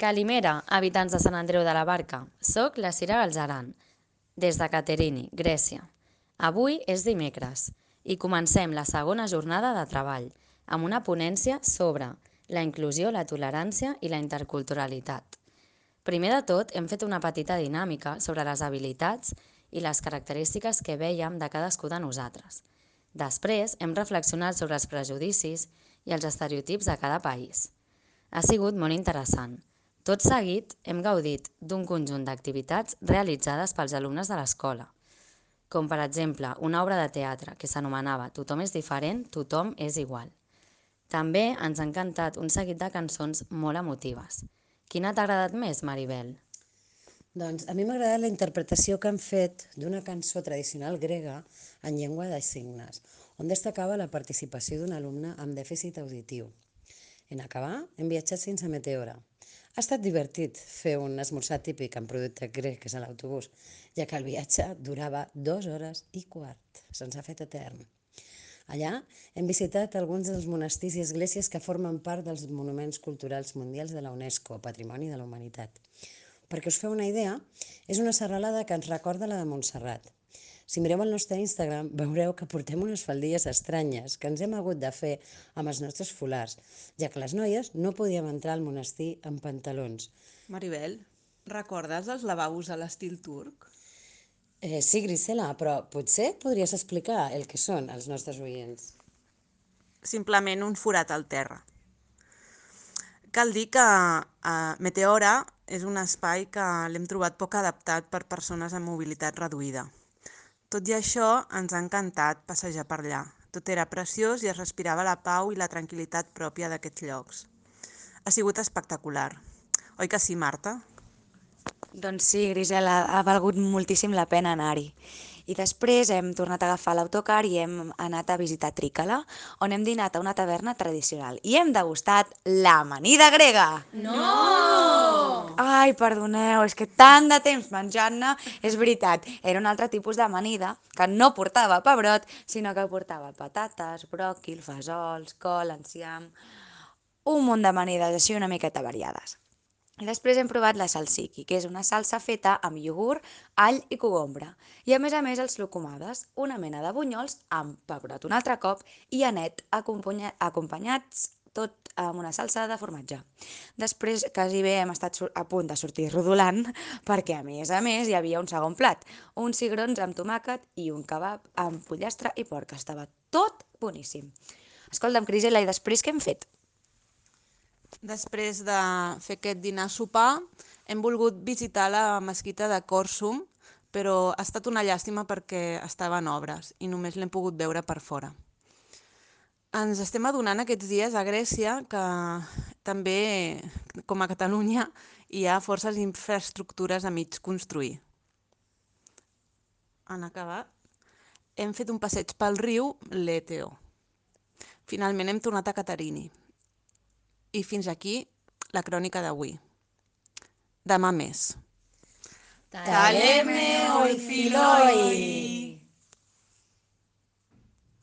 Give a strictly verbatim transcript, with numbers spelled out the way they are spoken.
Calimera, habitants de Sant Andreu de la Barca. Soc la Cira Galzeran, des de Caterini, Grècia. Avui és dimecres i comencem la segona jornada de treball amb una ponència sobre la inclusió, la tolerància i la interculturalitat. Primer de tot, hem fet una petita dinàmica sobre les habilitats i les característiques que vèiem de cadascú de nosaltres. Després, hem reflexionat sobre els prejudicis i els estereotips de cada país. Ha sigut molt interessant. Tot seguit, hem gaudit d'un conjunt d'activitats realitzades pels alumnes de l'escola, com per exemple una obra de teatre que s'anomenava Tothom és diferent, tothom és igual. També ens ha encantat un seguit de cançons molt emotives. Quina t'ha agradat més, Maribel? Doncs a mi m'ha agradat la interpretació que han fet d'una cançó tradicional grega en llengua de signes, on destacava la participació d'un alumne amb dèficit auditiu. En acabar, hem viatjat fins a Meteora. Ha estat divertit fer un esmorzar típic amb producte grec a l'autobús, ja que el viatge durava dues hores i quart. Se'ns ha fet etern. Allà hem visitat alguns dels monestirs i esglésies que formen part dels Monuments Culturals Mundials de la UNESCO, Patrimoni de la Humanitat. Perquè us feu una idea, és una serralada que ens recorda la de Montserrat. Si mireu el nostre Instagram, veureu que portem unes faldilles estranyes que ens hem hagut de fer amb els nostres folars, ja que les noies no podíem entrar al monestir amb pantalons. Maribel, recordes els lavabos a l'estil turc? Eh, sí, Grisela, però potser podries explicar el que són als nostres oients. Simplement un forat al terra. Cal dir que eh, Meteora és un espai que l'hem trobat poc adaptat per persones amb mobilitat reduïda. Tot i això, ens ha encantat passejar per allà. Tot era preciós i es respirava la pau i la tranquil·litat pròpia d'aquests llocs. Ha sigut espectacular. Oi que sí, Marta? Doncs sí, Grisela, ha valgut moltíssim la pena anar-hi. I després hem tornat a agafar l'autocar i hem anat a visitar Trícala, on hem dinat a una taverna tradicional i hem degustat l'amanida grega. No! Ai, perdoneu, és que tant de temps menjant-ne, és veritat, era un altre tipus d'amanida que no portava pebrot, sinó que portava patates, bròquil, fesols, col, enciam, un munt d'amanides així una miqueta variades. I després hem provat la salsiki, que és una salsa feta amb iogurt, all i cogombre. I a més a més els locomades, una mena de bunyols amb pebrot un altre cop i anet acompanya acompanyats tot amb una salsa de formatge. Després quasi bé hem estat a punt de sortir rodolant perquè a més a més hi havia un segon plat, uns cigrons amb tomàquet i un kebab amb pollastre i porc. Estava tot boníssim. Escolta'm, Crisela, i després què hem fet? Després de fer aquest dinar-sopar, hem volgut visitar la mesquita de Còrsum, però ha estat una llàstima perquè estava en obres i només l'hem pogut veure per fora. Ens estem adonant aquests dies a Grècia que també, com a Catalunya, hi ha forces infraestructures a mig construir. En acabar, hem fet un passeig pel riu Leteo. Finalment hem tornat a Caterini. I fins aquí la crònica d'avui. Demà més. Taleme oi filoi!